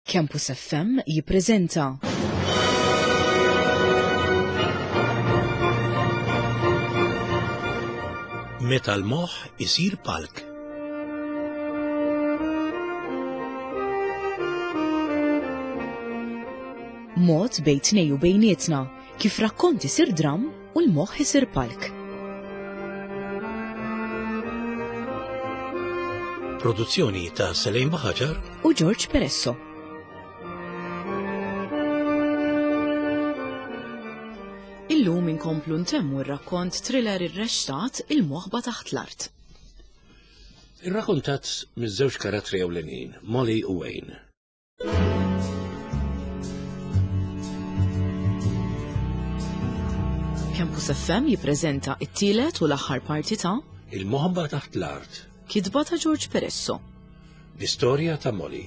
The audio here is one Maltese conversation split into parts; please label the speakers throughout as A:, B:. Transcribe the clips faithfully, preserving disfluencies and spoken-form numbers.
A: Campus F M jippreżenta
B: Meta l-moħħ isir palk.
A: Mod bejn tnej u bejnietna kif rakkont isir dram u l-moħħ isir palk.
B: Produzzjoni ta' Selene Buhagiar
A: u George Peresso. Illum inkomplu ntemmu r-rakkont thriller irrexxtat Il-Moħba Taħt l-Art.
B: Irrakkontat miż-żewġ karattri ewlenin, Molly u Wayne.
A: Campus F M jippreżenta t-tielet u l-aħħar parti ta'
B: Il-Moħba Taħt l-Art.
A: Kitba ta' George Peresso.
B: L-istorja ta' Molly.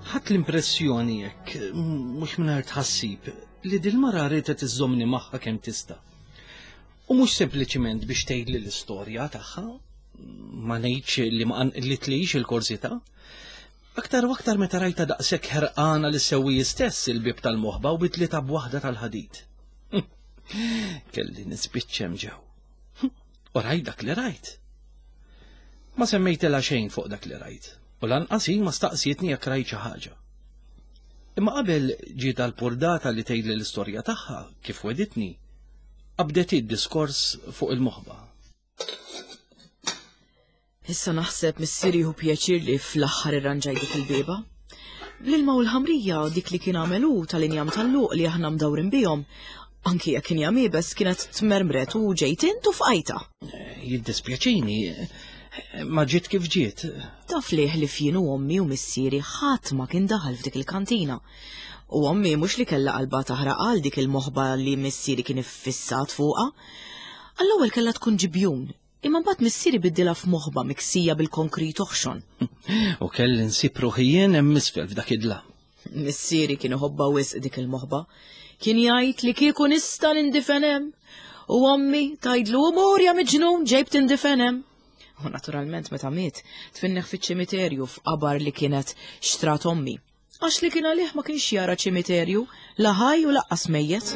C: Ħadt l-impressjoni hekk, mhux mingħajr tħassib, li dil-mara riedet iżżommni magħha kemm tista'. U mhux sempliċiment biex tgħidli l-istorja tagħha, ma ngħidx li ma qanqlitlix il-korsità. Aktar u aktar meta rajta daqshekk ħerqana li sewwi stess il-bieb tal-moħba u bitlita b'waħda tal-ħadid. Kelli nispiċċem ġew. U rajt dak li rajt. Ma semmejtilha xejn fuq dak li rajt. U lanqas hi ma staqsietni jekk rajt xi ħaġa. Imma qabel ġiet għall-purdata li tgħidli l-istorja tagħha kif weditni, qabdet id-diskors fuq il-moħba.
A: Issa naħseb missieri hu pjaċir li fl-aħħar irranġaj dik il-bieba. Bl-ilma u l-ħamrija dik li kien għamel hu tal-injam tal-luq li aħna mdawrin bihom, anki jekk kien jam iebes kienet tmermret u ġejt int u fqajta.
C: Jiddispjaċini, ma ġiet kif ġiet.
A: Taf liħ li fjien u ommi u missieri ħadd ma kien daħal f'dik il-kantina. U ommi mhux li kellha qalbha taħraq għal dik il-moħba li missieri kien iffissat fuqha. Għall-ewwel kellha tkun ġibjun, imma mbagħad missieri biddilha f'moħba miksija bil-konkrit oħxon.
C: U kelli nsib ruħi jien hemm isfel f'dak id-dlam.
A: Missieri kien iħobbha wisq dik il-moħba. Kien jgħid li kieku nista' nindifen hemm. U ommi tgħidlu mur ja miġnun ġejb tindifen hemm. U naturalment meta miet, tfinneħ fiċ-ċimiterju f'qabar li kienet xtrat ommi. Għax li kien għalih ma kienx jara ċimiterju, la ħaj u laqqas mejjet.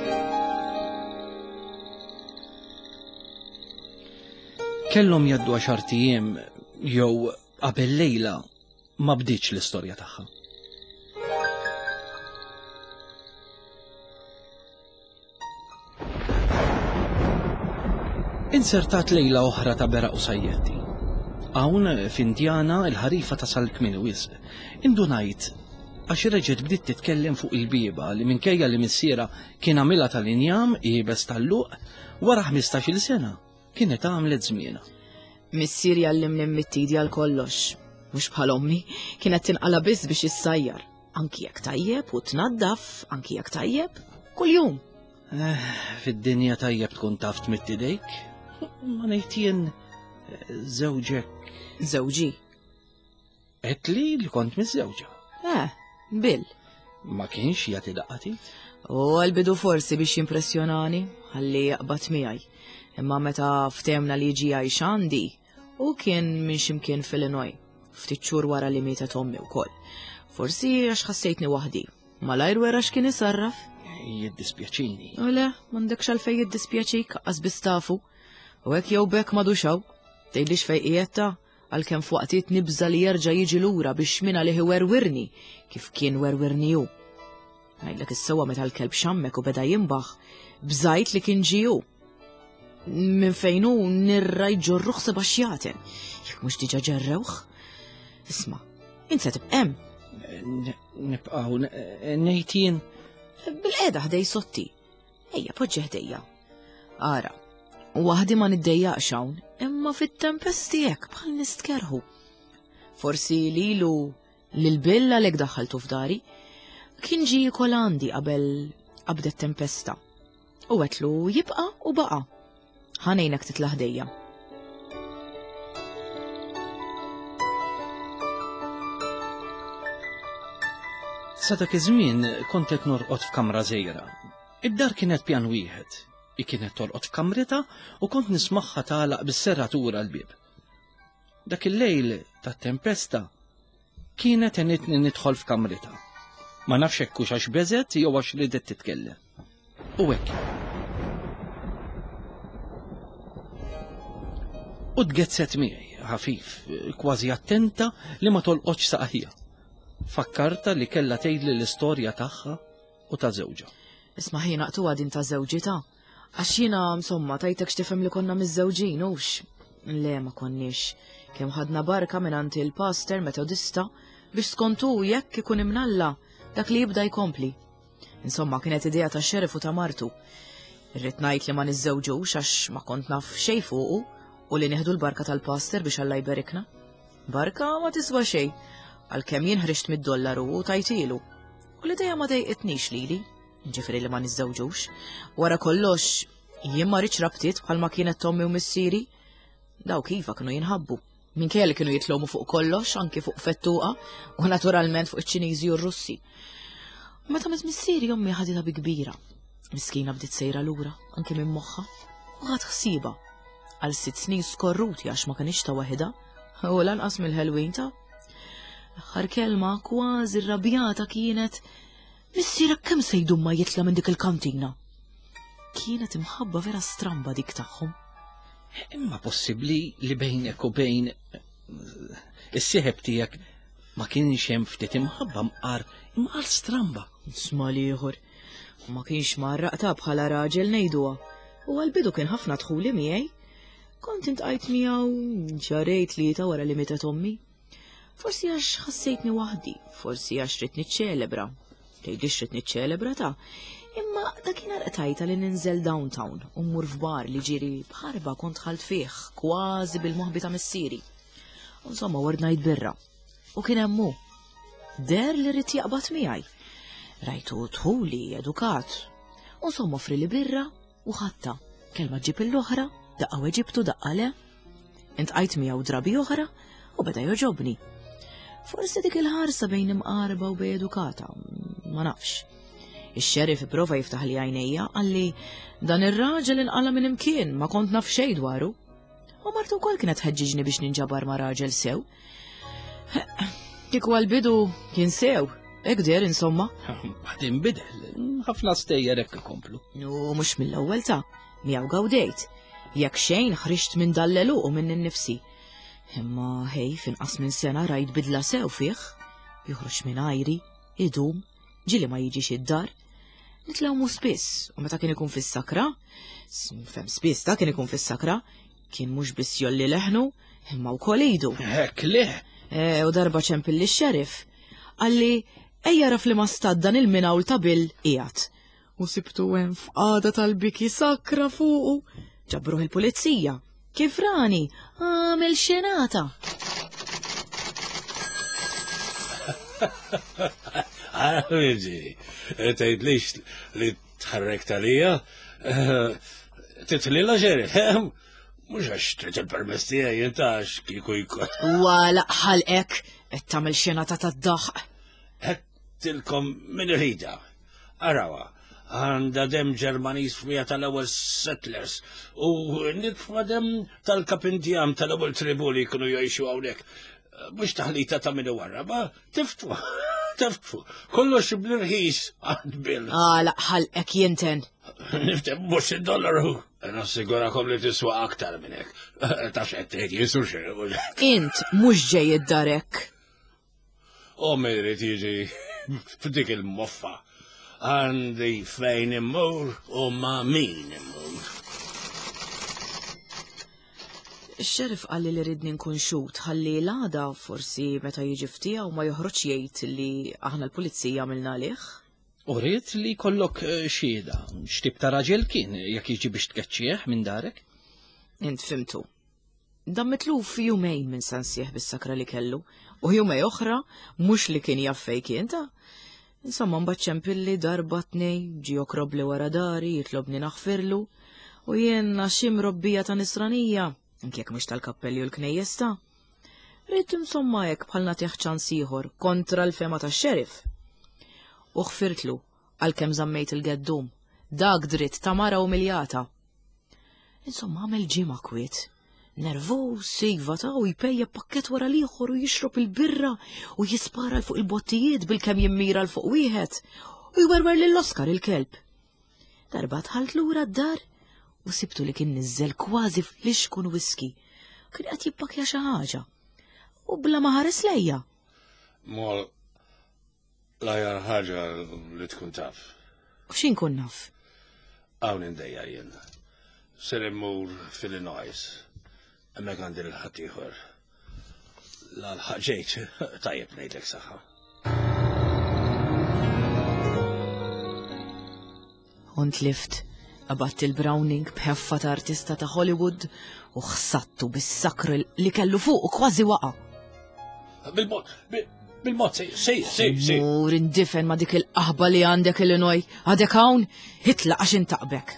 C: Kellhom jgħaddu għaxar ijiem jew qabel lejla ma bdietx l-istorja tagħha. Insertat lejla oħra ta' beraq u sajjetti. Hawn f'Indiana il-ħarifa tasal kmieni wisq. Indunajt għax reġgħet bdiet titkellem fuq il-bieba li minkejja li missiera kien għamilha tal-injam iebes tal-luq wara ħmistax-il sena kienet għamlet żmienha.
A: Missier jgħallimni mmittidi għal kollox, mhux bħal ommi, kienet tinqala biss biex issajjar. Anki jekk tajjeb u tnaddaf, anki jekk tajjeb, kuljum.
C: Eh, fid-dinja tajjeb tkun taf tmidd idejk. Ma ngħid jien, eh, żewġek.
A: Żewġi.
C: Għedt li li kont miżżewġa.
A: Eh, Bill.
C: Ma kienx jagħti daqatit?
A: U għal-bidu forsi biex jimpressjonani, ħalli jaqbad miegħi. Imma meta ftemna li ġi għajx għandi, u kien minn ximkien f'Illinois, ftit xhur wara li mietet ommi wkoll. Forsi għax ħassejtni waħdi. Malajr wera x'kien isarraf.
C: Jiddispjaċini.
A: U le, m'għandekx għalfejn jiddispjaċik, qas biss tafu. U hekk jew bekk m'għadux hawn. Tgħidlix fejn qiegħed għalkemm f'waqtiet nibża' li jerġa' jiġi lura biex min għalih iwerwirni kif kien werwirni hu. Ngħidlek is-sewwa meta l-kelb xammek u beda jimbaħ, bżajt li kien ġie hu. Minn fejn hu nirra jġorruh seba' xjaten. Jekk mhux diġà ġerrewh. Isma', int se tibqa' hemm.
C: N-, nibqgħu n-, ngħid jien.
A: Bil-qiegħda ħdej sotti. Ejja, poġġi ħdejja. Ara, waħdi ma niddejjaqx hawn, imma fit-tempesti hekk bħal nistkerħu. Forsi lilu lil Bill għalhekk daħħaltu f'dari. Kien ġie jiekol għandi qabel qabdet tempesta. U għetlu jibqa' u baqa'. Ħanejnek titla' ħdejja.
C: Sa dak iż-żmien kont qed norqod f'kamra żgħira. Id-dar kienet pjan wieħed. Hi kienet torqod f'kamritha u kont nismagħha tagħlaq bis-serratura l-bieb. Dak il-lejl tat-tempesta kienet għenitni nidħol f'kamritha. Ma nafx hekk hux għax beżgħet jew għax ridet titkellem. U hekk. U tgezzet miegħi, ħafif, kważi attenta li ma tolqotx saqajja. Fakkarta li kellha tgħidli l-istorja tagħha u ta' żewġha.
A: Isma' ħin naqtuha din ta' żewġi ta' għax jiena insomma tajtek x'tifhem li konna miżżewġin hux. Le ma konniex. Kemm ħadna barka mingħand il-pastor Metodista biex skontu jekk ikun imnalla dak li jibda jkompli. Insomma kienet idea ta' xerif u ta' martu. Irrid ngħid li ma niżżewġux għax ma kont naf xejn fuqu u li nieħdu l-barka tal-pastor biex Alla jberikna. Barka ma tiswa xejn, għalkemm jien ħriġt mid-dollaru u tajtilu. U l-idea ma dejqitnix lili, ġifieri li ma niżżewġux. Wara kollox, jien ma rridx rabtiet bħalma kienet tommi u missieri. Dawk iva kienu jinħabbu. Minkejja li kienu jitlomu fuq kollox, anki fuq fettuqa, u naturalment fuq iċ-Ċiniżi u r-Russi. U meta miet missieri ommi ħaditha bi kbira. Miskina bdiet sejra lura, anki minn moħħha, u ħadt ħsieba. Għal sitt snin skorruti għax ma kienx ta' waħedha, u lanqas mill-ħelwin ta'. L-aħħar kelma kważi rrabjata kienet missierek kemm se jdum ma jitla' minn dik il-kantina. Kienet imħabba vera stramba dik tagħhom.
C: Imma possibbli li bejnek u bejn is-sieħeb tiegħek ma kienx hemm ftit imħabba mqar imqar stramba.
A: Isma' l-ieħor. Ma kienx mgħarraq ta' bħala raġel ngħiduha. U għall-bidu kien ħafna dħuli miegħi. Kont intqajt miegħu ġarejt li ta' wara li mietet ommi. Forsi għax ħassejtni waħdi, forsi għax ridt niċċelebra. Tgħidlix ridt niċċelebra ta' imma dakinhar qtajta li ninżel downtown u mmur f'bar li ġieri bħarba kont ħalt fih, kważi bil-moħbi ta' missieri. Insomma, ordnajt birra. U kien hemm hu. Der li rrid jaqbad miegħi. Rajtu dħuli, edukat. U insomma offri li birra u ħatta. Kelma ġib l-oħra, daqqa weġibtu daqqa le. Intqajt miegħu drabi oħra u beda joġobni. Forsi dik il-ħarsa bejn imqarba u bej edukata, ma nafx. Ix-xerif ipprova jiftaħ li għajnejja qalli dan ir-raġel inqala minn imkien ma kont naf xejn dwaru. U martu wkoll kienet ħeġġiġni biex ninġabar ma' raġel sew. Kieku għal-bidu kien sew, hekk deher insomma.
C: Bad inbidel, ħafna stejjer hekk ikomplu.
A: U mhux mill-ewwel ta' miegħu gawdejt. Jekk xejn ħriġt minn dallelu u minn innifsi. Imma ħej finqas minn sena rajt bidla sew fih. Joħroġ minn ajri, idum, ġili ma jiġix id-dar. Nitlawmu spiss, u meta kien ikun fis-sakra, fem spiss ta' kien ikun fis-sakra, kien mhux biss jolli leħnu, imma wkoll idu.
C: Hekk lih.
A: E, u darba ċempilli x-xerif. Qalli, ejja raf li ma stad dan il-minawl ta' Bill qiegħed. U sibtu hemm f'qagħda tal-biki sakra fuqu. Ġabruh il-pulizija. Kif rani, għamel xenata.
B: Għara, tgħidlix li tħarrek talija, titlila xerif, mhux għax trid il-permess tiegħi inta għax kieku jkun.
A: Wala ħalqek, qed tagħmel xenata tad-daħq.
B: Għedtilkom min irida. Arawa, għandha dem Ġermaniż f'mija tal-ewwel settlers u nitfa dem tal-kapindjam tal-ewwel tribu li jkunu jgħixu hawnhekk. Mhux taħlita ta' min warraba, tiftfu, tiftfu. Kollox bl-irħis għand Bill.
A: Għala ħalqek jinten.
B: Niftem mhux id-dollaru. Nassigurakom li tiswa aktar minn hekk. Taf x'qed tgħid jisu xejn.
A: Int mhux ġej id-darek.
B: U min irid jiġi f'dik il-moffa. Għandi fejn immur u ma' min immur.
A: Ix-xerif qalli li ridni nkun xut ħalli l-għada forsi meta jiġi ftija u ma joħroġ jgħid li aħna l-pulizija għamilna għalih.
C: U rrid li jkollok xhieda, x'tip ta' raġel kien jekk jiġi biex tkeċċih minn darek?
A: Int fimtu. Dan mitluf jumejn minn sansieħ bis-sakra li kellu u jumej oħra mhux li kien jaf fejn kien ta'. Insomma, mbagħad ċempilli darba tnej, ġie jokrobli wara dari, jitlobni naħfirlu, u jien għax imrobbija ta' nisranija, anke jekk mhux tal-kappelli u l-knejjes ta'. Rrid insomma hekk bħal nagħtih ċans ieħor kontra l-fema tax-xerif. U ħfirtlu għalkemm żammejt il-geddum, Dak dritt ta' mara umiljata. Insomma, għamel ġimgħa kwiet. Nervuż, iva ta' u jpejja pakket wara l-ieħor u jixrob il-birra u jispara l fuq il-bottijiet bil-kemm jimmira l fuq wieħed u jwerwer lil Oscar il-kelb. Darba dħalt lura d-dar u sibtu li kien niżel kważi flixkun whisky. Kien qed jippakja xi ħaġa. U bla ma ħares lejja.
B: Mol, l-aħjar ħaġa li tkun taf.
A: U x'in kun naf?
B: Hawn indejja jien. Ser immur fil-Illinois. Hemmhekk għandi lil ħaddieħor. L-ħaq ġejt, tajjeb ngħidlek saħħa.
A: Ont lift, qabatt il-Browning b'ħeffa ta' artista ta' Hollywood u ħsattu bis-sakru li kellu fuq u kważi waqa'.
B: Bil-mod, bil-mod, si, si, si, si.
A: Mur indifen ma' dik il-qaħba li għandek Illinois, għadek hawn, itlaq għax intaqbek.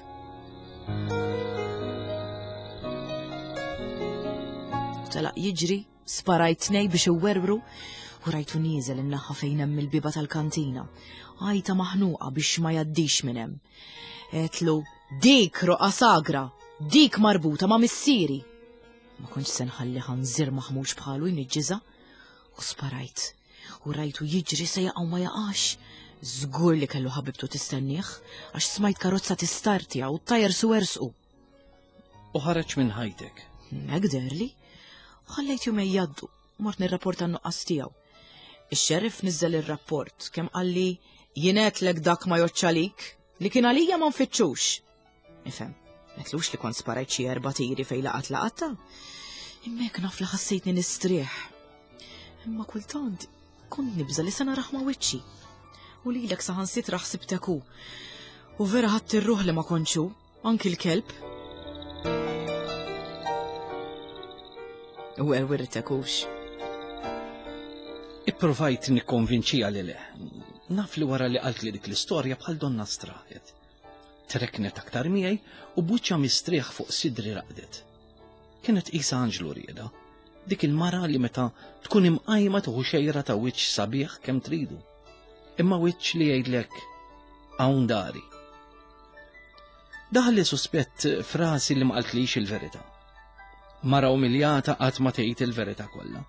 A: Telaq jiġri, sparajt tnej biex iwerwru u rajtu nieżel in-naħa fejn hemm il-biba tal-kantina. Għajta maħnuqa biex ma jgħaddix minn hemm. Għedtlu, dik roqa sagra, dik marbuta ma' missieri. Ma kontx se nħalli ħanżir maħmuġ bħalu jniġġiżha. U sparajt. U rajtu jiġri se jaqa' u ma jaqax. Żgur li kellu ħabibtu tistennieh, għax smajt karozza tistartja u t-tajer su ersqu.
C: U ħareġ minn ħajtek.
A: Hekk deherli. Ħallejt jumejn jgħaddu, mort nirrapporta n-nuqqas tiegħu. Ix-xeriff niżel ir-rapport kemm qalli jien għedtlek dak ma jgħoddx għalik, li kien għalija ma nfittxux. Ifhem, m'għedtlux li kont sparajt xi erba' tiri fejn laqat laqatta. Imma hekk naf li ħassejtni nistrieħ. Imma kultant kont nibża li se narah ma' wiċċi. U lilek saħansitra ħsibtek hu. U vera ħadd ir-ruħ li ma kontx hu, anki l-kelb. U werwirtek hux.
C: Ipprovajt nikkonvinċija li le. Naf li wara li qalt li dik l-istorja bħal donna straħet. Treknet aktar miegħi u buċċa mistrieħ fuq sidri raqdet. Kienet qisha anġlu rieda. Dik il-mara li meta tkun imqajma tuħu xejra ta' wiċċ sabiħ kemm tridu. Imma wiċċ li jgħidlek hawn dari. Daħli suspett frasi li ma qaltlix il-verità. Mara umiljata qatt ma tgħid il-verità kollha.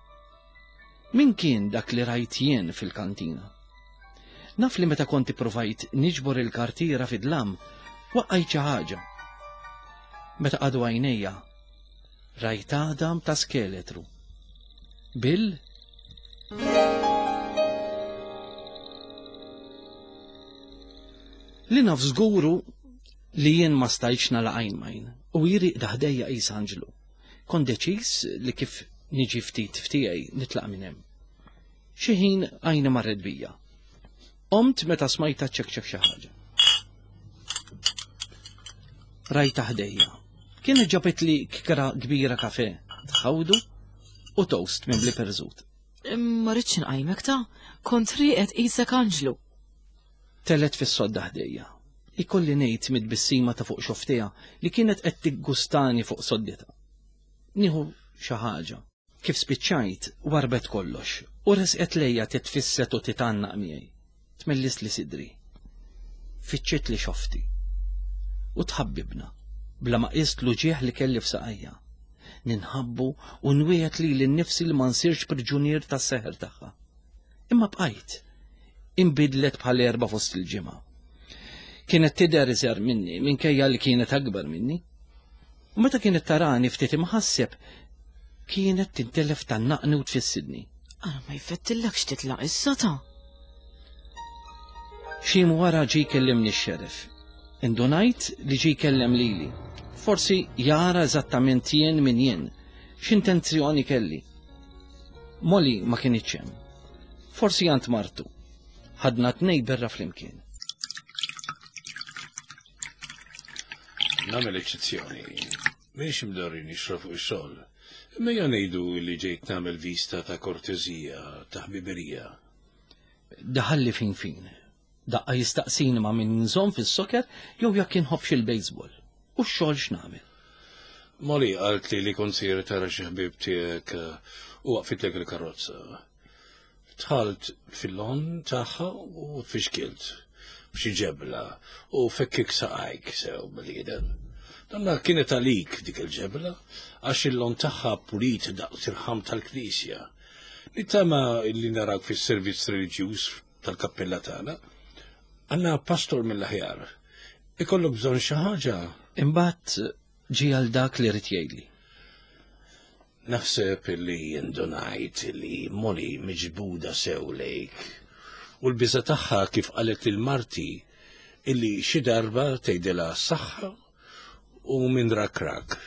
C: Min kien dak li rajt jien fil-kantina? Naf li meta konti provajt niġbor il-kartiera fid-dlam, waqqajt xi ħaġa. Meta qadu għajnejja, rajt għadam ta' skeletru. Bill? Li naf żguru li jien ma stajtx nagħlaq għajn m'għajn u jiri daħdejja qis anġlu. Kont deċiż li kif niġi ftit ftiegħi nitlaq minn hemm. Xi ħin għajni marret bija. Qomt meta smajta ċekċek xi ħaġa. Rajta ħdejja. Kienet ġabet li kikra kbira kafe, tħawdu u toast minn bli perżut.
A: Ma rridx inqajmek ta' kont rieqed qisek anġlu.
C: Telet fis-sodda ħdejja. Ikolli ngħid mid-bissima ta' fuq xoftiha li kienet qed tiggustani fuq soddita. Nieħu xi ħaġa. Kif spiċċajt, warbet kollox u resqet lejja titfisset u titgħannaq miegħi. Tmellis li sidri. Fiċċiet li xofti. U tħabbibna, bla ma qist l-uġieħ li kelli f'saqajja. Ninħabbu u nwiegħed lili nnifsi li ma nsirx priġunier tas-seħer tagħha. Imma bqajt, inbidlet bħal erba' fost il-ġimgħa. Kienet tidher iżgħar minni, minkejja li kienet akbar minni. U meta kienet tarani ftit imħasseb, kienet tintelef tannaqni u tfissidni.
A: Ara ma jfettillekx titlaq issa ta'.
C: Xi wara ġie jkellimni x-xeriff. Indunajt li ġie jkellem lili. Forsi jara eżattament jien min jien, x'intenzjoni kelli. Molly ma kienitx hemm. Forsi għand martu. Ħadna tnej berra flimkien.
B: Nagħmel eċċezzjoni. M'iniex imdorri nixrob fuq ix-xogħol. Imma ejja ngħidu li ġejt nagħmel vista ta' kortesija, ta' ħbiberija.
C: Daħalli fin fin. Daqqa jistaqsini ma' min nżomm fis-soker jew jekk inħobbx il-baseball. U x-xogħol x'nagħmel.
B: Molly qalt li li kont sejjer tara xi ħbieb tiegħek u waqfitlek il-karozza. Dħalt fil-lon tagħha u tfixkilt. b'xi ġebla u fekkik saqajk sew bniedem. Donna kienet għalik dik il-ġebla, għax il-lon tagħha pulit daqs irħam tal-knisja. Nittama illi narak fis-servizz reliġjuż tal-kappella tagħna. Għandna pastor mill-aħjar. Ikollok bżonn xi ħaġa.
C: Imbagħad ġie għal dak li rid jgħidli.
B: Naħseb illi indunajt li Molly miġbuda sew lejk u l-biża tagħha kif qalet lil marti illi xi darba tgħidilha s-saħħa u minn rak rak.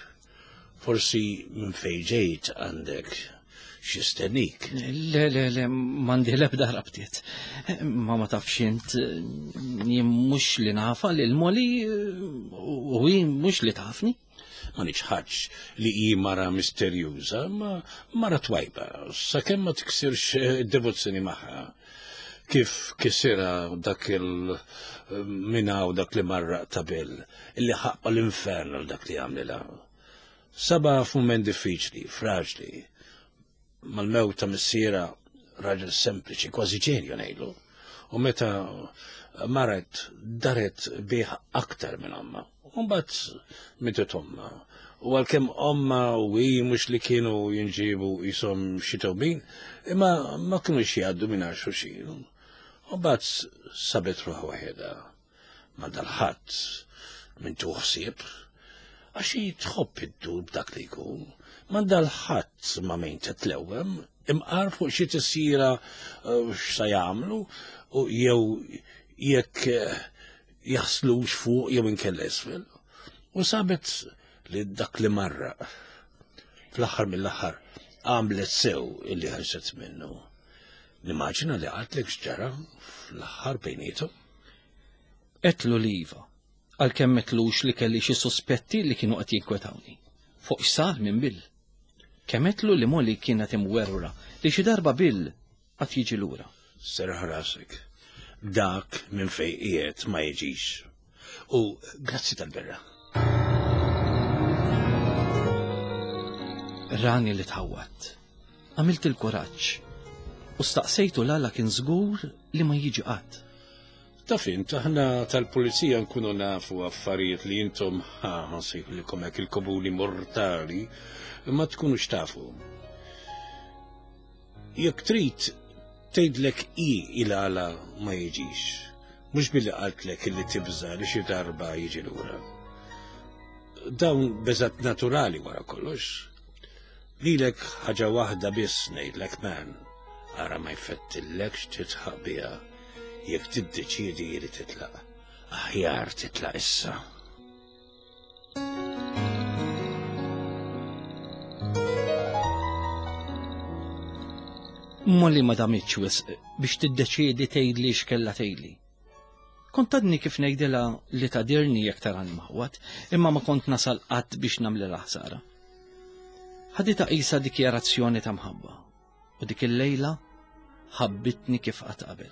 B: Forsi minn fejn ġejt għandek xi stennik.
C: Le, le, le, m'għandi l-ebda rabtiet. Ma ma tafx int, jien mhux li nafa lil Molly u hi mhux li tafni.
B: Ma niċħadx li hi mara misterjuża, ma mara twajba, sakemm ma tiksirx id-devozzjoni magħha. Kif kisira dak il-mina u dak li marraq ta' Bill, illi ħaqqa l-infern għal dak li għamlilha. Saba f'mument diffiċli, fraġli. Mal-mewt ta' missiera raġel sempliċi, kważi ġenju ngħidlu. U meta maret daret bih aktar minn omma. U mbagħad mietet omma. U għalkemm omma u hi mhux li kienu jinġibu jisom xi tewmin, imma ma kinux jgħaddu minn xulxin. U mbagħad sabet ruħha waħedha ma' dal-ħadd minn tuħsieb, għax hi tħobb iddur b'dak li jkun. Ma' dal-ħadd ma' min titlewwem, imqar fuq xi tisira x'sa jagħmlu u jew jekk jaħslux fuq jew inkella isfel. U sabet li dak li marra fl-aħħar mill-aħħar għamlet sew illi ħarset minnu. Nimmaġina li qaltlek x'ġara fl-aħħar bejniethom.
C: Għedtlu li iva, għalkemm m'għedtlux li kelli xi sospetti li kienu qed jinkwetawni. Fuq x'sar minn Bill. Kemm għedtlu li Molly kienet imwerwra li xi darba Bill qatt jiġi lura.
B: Serraħ rasek. Dak minn fejn qiegħed ma jiġix. U grazzi tal-berra.
C: Rani li tħawwatt. Għamilt il-kuraġġ u staqsejtu l-għala kien żgur li ma jiġi qatt.
B: Taf int, aħna tal-pulizija nkunu nafu affarijiet li intom ħa nsejħulkom hekk il-komuni mortali ma tkunux tafu. Jekk trid tgħidlek hi il-għala ma jiġix, mhux billi qaltlek illi tibża' li xi darba jiġi lura. Dawn beżat naturali wara kollox. Lilek ħaġa waħda biss ngħidlek man, ara ma jfettillekx titħaq biha jekk tiddeċiedi li titlaq. Aħjar titlaq issa.
C: Molly ma damitx wisq biex tiddeċiedi tgħidli x'kellha tgħidli. Kont għadni kif ngħidilha li tadirni jekk tarani maħwat, imma ma kont nasal qatt biex nagħmlilha ħsara. Ħaditha qisha dikjarazzjoni ta' mħabba, u dik il-lejla ħabbitni kif qatt qabel.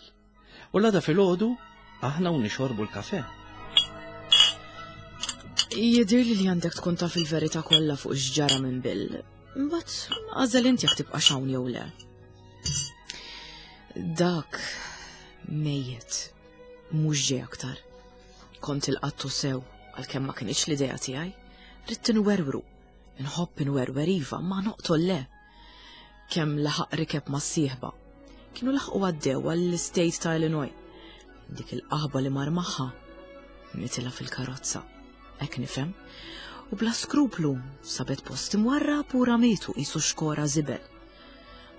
C: U l-għada filgħodu aħna u nixorbu l-kafe.
A: Jidhirli li għandek tkun taf il-verità kollha fuq x'ġara minn Bill. Imbagħad għażel inti jekk tibqa' hawn jew le. Dak mejjet mhux ġej aktar. Kont il-qattu sew għalkemm ma kinitx l-idea tiegħi. Ridt inwerwru. Inħobb inwerwer iva, ma noqtol le. Kemm laħaq rikeb ma' sieħba. Kienu laħqu għaddew għall-state ta' Illinois. Dik il-qaħba li mar magħha mitilha fil-karozza. Hekk nifhem. U bla skruplu sabet post imwarra pura mietu qisu xkora żibel.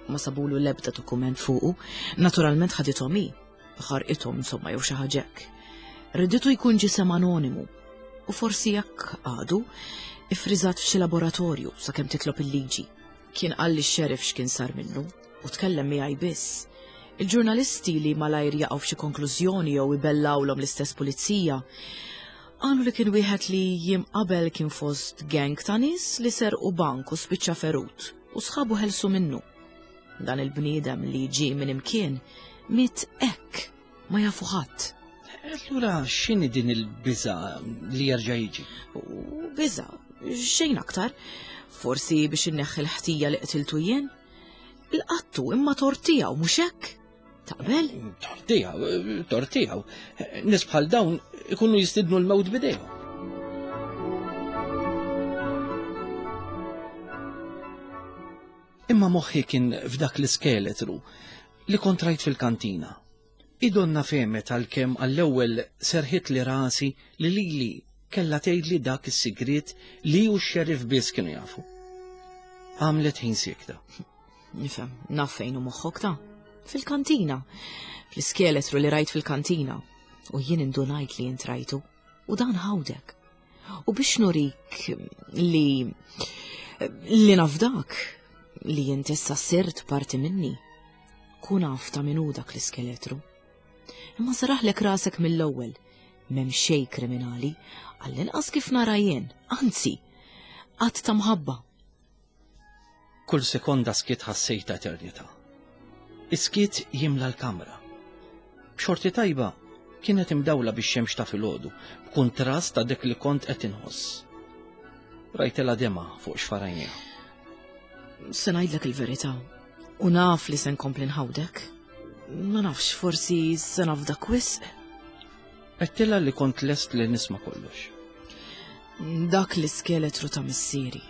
A: Ma sabulu l-ebda dokument fuqu, naturalment ħadithom hi, ħarqithom insomma jew xi ħaġa hekk. Riditu jkun ġisem anonimu u forsi jekk għadu ifriżat f'xi laboratorju sakemm titlob il-liġi. Kien qal li x-xeriff x'kien sar minnu u tkellem miegħi biss. Il-ġurnalisti li malajr jaqgħu f'xi konklużjoni jew ibellawlhom l-istess pulizija qalu li kien wieħed li jiem qabel kien fost gang ta' nies li serqu bank u spiċċa ferut u sħabu ħelsu minnu. Dan il-bniedem li ġie minn imkien miet hekk ma jafu ħadd.
C: Allura x'inhi din il-biża li jerġa' jiġi?
A: U biża, xejn aktar. Forsi biex inneħħi l-ħtija li qtiltu jien. Il-qattu imma tort tiegħu mhux hekk? Taqbel?
C: Tortijaw, tortijaw. Nies bħal dawn ikunu jistidnu l-mewt bidejhom. Imma moħħi kien f'dak l-iskeletru li kont rajt fil-kantina. Idonna fehmet għalkemm għall-ewwel serħit li rasi li lili kellha tgħidli dak is-sigriet li hu x-xeriff biss kienu jafu. Għamlet ħin siekta.
A: Nifhem, naf fejn hu moħħok ta' fil-kantina, fl-iskeletru li rajt fil-kantina. U jien indunajt li jint rajtu, u dan ħawdek. U biex nurik li li nafdak li jint issa sirt parti minni, kun af ta' min hu dak l-iskeletru. Imma saraħlek rasek mill-ewwel, m'hemm xejn kriminali, għall-inqas kif nara jien, anzi, qatt ta' mħabba.
C: Kull sekonda skiet ħassejta eternità. Is-skiet jimla l-kamra. B'xorti tajba kienet imdawla bix-xemx ta' filgħodu, b'kuntrast ta' dik li kont qed inħoss. Rajtilha dema fuq xfarajniha.
A: Se ngħidlek il-verità, u naf li se nkompli nħawdek. Ma nafx, forsi se nafdak wisq.
C: Għedtilha li kont lest li nisma' kollox.
A: Dak l-iskeletru ta' missieri.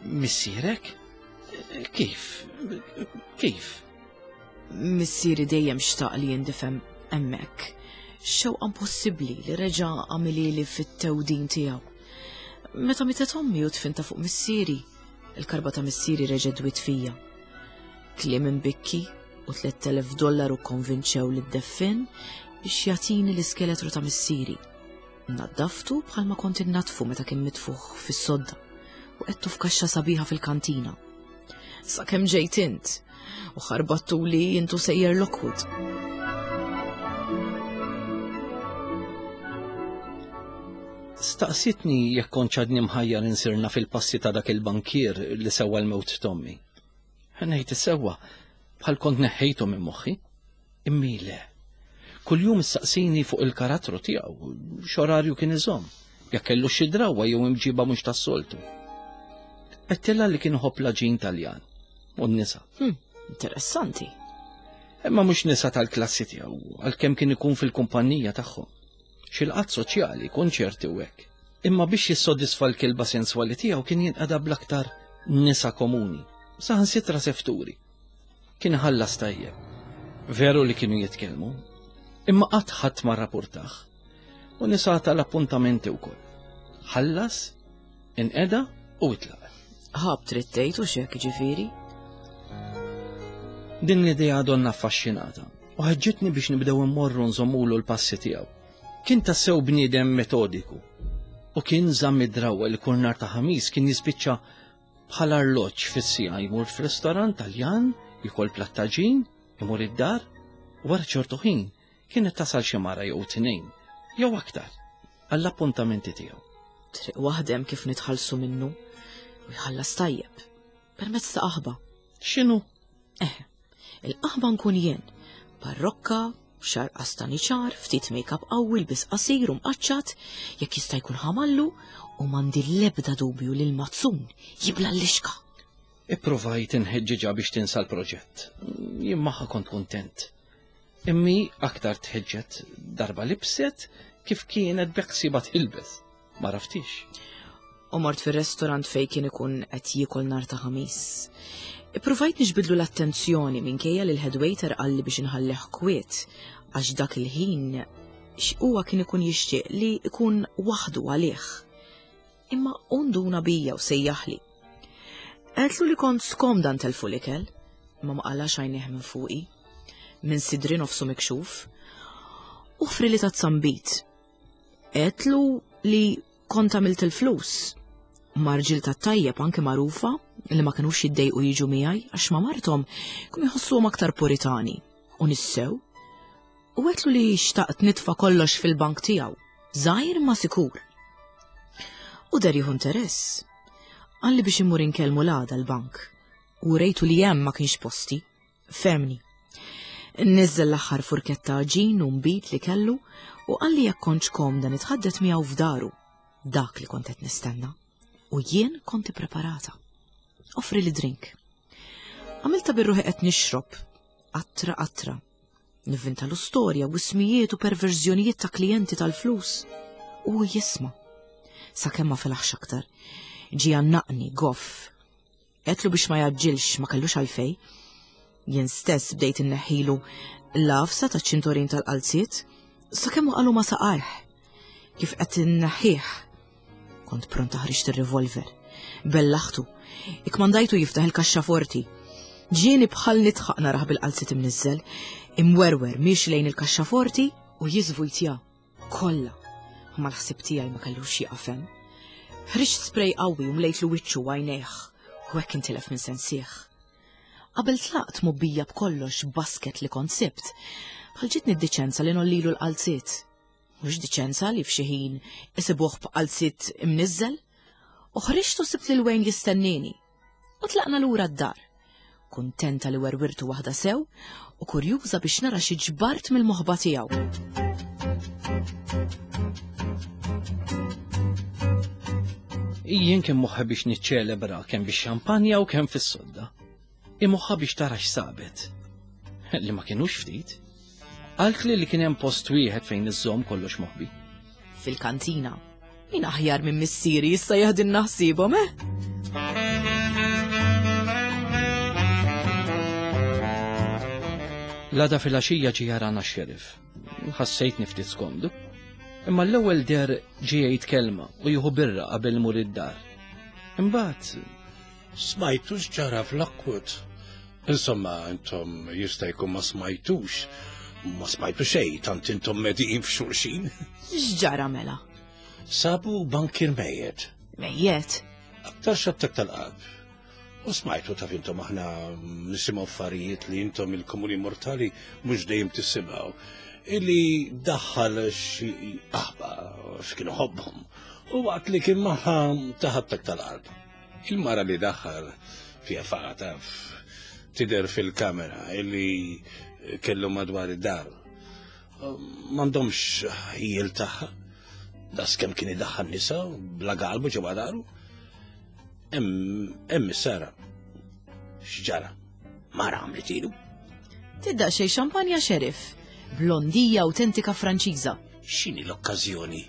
C: Missierek? Kif? Kif?
A: Missieri dejjem xtaq li jindifem hemmhekk. Xewqa impossibbli li reġa' għamilili fit-tewdin tiegħu. Meta mietet ommi u tfinta fuq missieri, il-karba ta' missieri reġa' dwiet fija. Kliem imbikki u tliet elef dollaru konvinċew li d-deffin biex jagħtini l-iskeletru ta' missieri. Naddaftu bħalma kont innatfu meta kien mitfuħ fis-sodda u qedtu f'kaxxa sabiħa fil-kantina. Sakemm ġejt int u ħarbattu li intu sejjer Lockwood.
C: Staqsitni jekk kont għadni mħajjar insirna fil-passi ta' dak il-bankier li sewwa l-mewt t'ommi. Ngħid is-sewwa bħal kont neħħejtu minn moħħi. Immi le. Kuljum issaqsini fuq il-karattru tiegħu, x'orarju kien iżomm, jekk kellu xi drawwa jew imġiba mhux tas-soltu. Għedtilha li kien iħobb l-għaġin Taljan u n-nisa.
A: Hmm, interessanti.
C: Imma mhux nisa tal-klassi tiegħu, għalkemm kien ikun fil-kumpanija tagħhom. Xi laqgħat soċjali, konċerti u hekk. Imma biex jissodisfa l-kilba senswali tiegħu kien jinqeda bl-aktar nisa komuni, saħansitra sefturi. Kien ħallas tajjeb. Veru li kienu jitkellmu, imma qatt ħadd ma rrapportah. U nisa tal-appuntamenti wkoll. Ħallas, inqeda u itlaq.
A: Ħab trid tgħid u x'hekk ġifieri?
C: Din l-idea donna affaxxinata u ħeġġitni biex nibdew immorru nżommulu l-passi tiegħu. Kien tassew bniedem metodiku u kien żamm id-drawwa li kull nhar ta' ħamis kien jispiċċa bħal arloġġ fis-siegħa jmur f'ristorant Taljan, jikol plattaġin, imur id-dar, u wara ċertu ħin kienet tasal xi mara jew tnejn jew aktar għall-appuntamenti tiegħu.
A: Triq waħdem kif nitħallsu minnu u jħallas tajjeb permezz ta' qaħba.
C: X'inhu?
A: Eh, il-qaħba nkun jien, parrokka, xar qastani ċar, ftit make-up qawwi, lbis qasir u mqaċċat, jekk jista' jkun ħamallu, u m'għandi l-ebda dubju li l-mazzun jibla l-lixka.
C: Ipprovajt inħeġġiġha biex tinsa l-proġett. Jien magħha kont kuntent. Immi aktar tħeġġet darba libset kif kienet beħsiebha tilbes. Ma raftix.
A: U mort fir-restorant fej kien ikun qed jiekol nhar ta' ħamis. Ippruvajt niġbidlu l-attenzjoni minkejja li l-head waiter qalli biex inħallih kwiet għax dak il-ħin huwa kien ikun jixtieq li ikun waħdu għalih. Imma unduna bija u sejjaħli. Għedtlu li kont skomda ntelfu l-ikel, imma ma qalax għajnejh minn fuqi, minn sidri nofsu mikxuf, u fri li ta' tsambit. Għedtlu li kont għamilt il-flus, marġil ta' tajjeb anke magħrufa li ma kinux jiddejqu jiġu miegħi għax ma' marthom kienu jħossuhom aktar puritani u nissew. U għedtlu li xtaqt nitfa' kollox fil-bank tiegħu, żgħir ma sikur. U der jieħu interess. Qalli biex immur inkellmu l-għada l-bank. U rejtu li hemm ma kienx posti. Femni. Niżel l-aħħar furketta għaġin u nbid li kellu u qalli jekk kontx komda nitħaddet miegħu f'daru. Dak li kont qed nistenna. U jien kont ippreparata. Offri li drink. Għamilta bir-ruħi qed nixrob, qatra qatra. Nivvintalu storja u ismijiet u perverżjonijiet ta' klijenti tal-flus. U jisma'. Sakemm ma felaħx aktar. Ġie għannaqni, goff. Għedtlu biex ma jgħaġġilx, ma kellux għalfej. Jien stess bdejt inneħħilu l-għafsa taċ-ċintorin tal-qalziet, sakemm waqalu ma saqajh. Kif qed inneħħih. Kont pronta ħriġt ir-revolver. Bellaħtu. Ikkmandajtu jiftaħ il-kaxxaforti. Ġieni bħal nitħaq narah bil-qalziet imniżżel, imwerwer miex lejn il-kaxxaforti u jiżvujtja. Kollha. Ma l-ħsieb tiegħi ma kellux jieqaf hemm. Ħriġt spray qawwi u mlejtlu wiċċu u għajnejh, u hekk intilef minn sensih. Qabel tlaqt mobbija b'kollox basket li kont sibt, bħal ġitni d-diċenza li nollilu l-qalziet. Mhux diċenza li f'xi ħin isibuh b'qalziet imniżżel. U ħriġt u sibt lil Wayne jistennini. U tlaqna lura d-dar. Kuntenta li werwirtu waħda sew u kurjuża biex nara xi ġbart mill-moħba tiegħu.
C: Jien kien moħħa biex niċċelebra kemm bix-xampanja u kemm fis-sodda. Imoħħa biex tara x'sabet. Li ma kienux ftit. Qaltli li kien hemm post wieħed fejn iżżomm kollox moħbi.
A: Fil-kantina. Min aħjar minn missieri jista' jaħdilna ħsiebhom, eh?
C: L-għada fil-għaxija ġie jarana x-xeriff. Ħassejtni ftit skomdu. Imma l-ewwel der ġie jgħid kelma u jieħu birra qabel mur id-dar. Imbagħad
B: Smajtu x'ġara fl-Lockwood. Insomma, intom jista' jkun ma smajtux. Ma smajtu xejn, tant intom mediqin f'xulxin.
A: X'ġara mela?
B: Sabu bankir mejjet.
A: Mejjet?
B: Aktar xattak tal-qalb. U smajtu taf intom aħna nisimgħu affarijiet li intom il-komuni mortali mhux dejjem tisimgħu. Illi daħħal xi aħba x'kienu ħobbhom. U waqt li kien magħha taħattak tal-qalb. Il-mara li daħħal fiha faqa taf tidher fil-kamera illi kellu madwar id-dar. M'għandhomx ħjiel tagħha. Das kemm kien idaħħal nisa bla galbu ġewwa daru. Hemm is-Sara. X'ġara? Mara għamlet ilu.
A: Tidda xejn xampanja xeriff. Blondija autentika Franċiża.
B: X'inhi l-okkażjoni?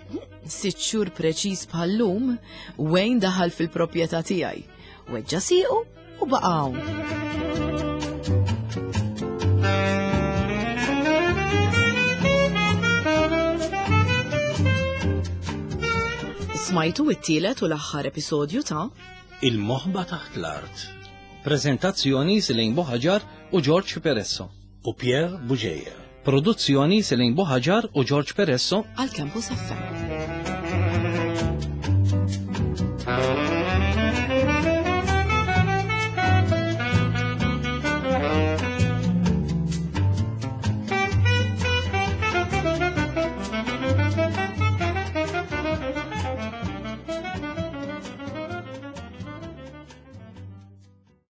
A: Sitt xhur preċiż bħal-lum, Wayne daħal fil-proprjetà tiegħi. Weġġa' siequ u baqa' hawn. Smajtu it-tielet u l-aħħar episodju ta'
B: Il-Moħba Taħt l-Art.
C: Prezentazzjoni Selene Buhagiar u George Peresso.
B: U Pierre Bugeja.
C: Produzzjoni Selene Buhagiar u George Peresso
A: għal Campus F M.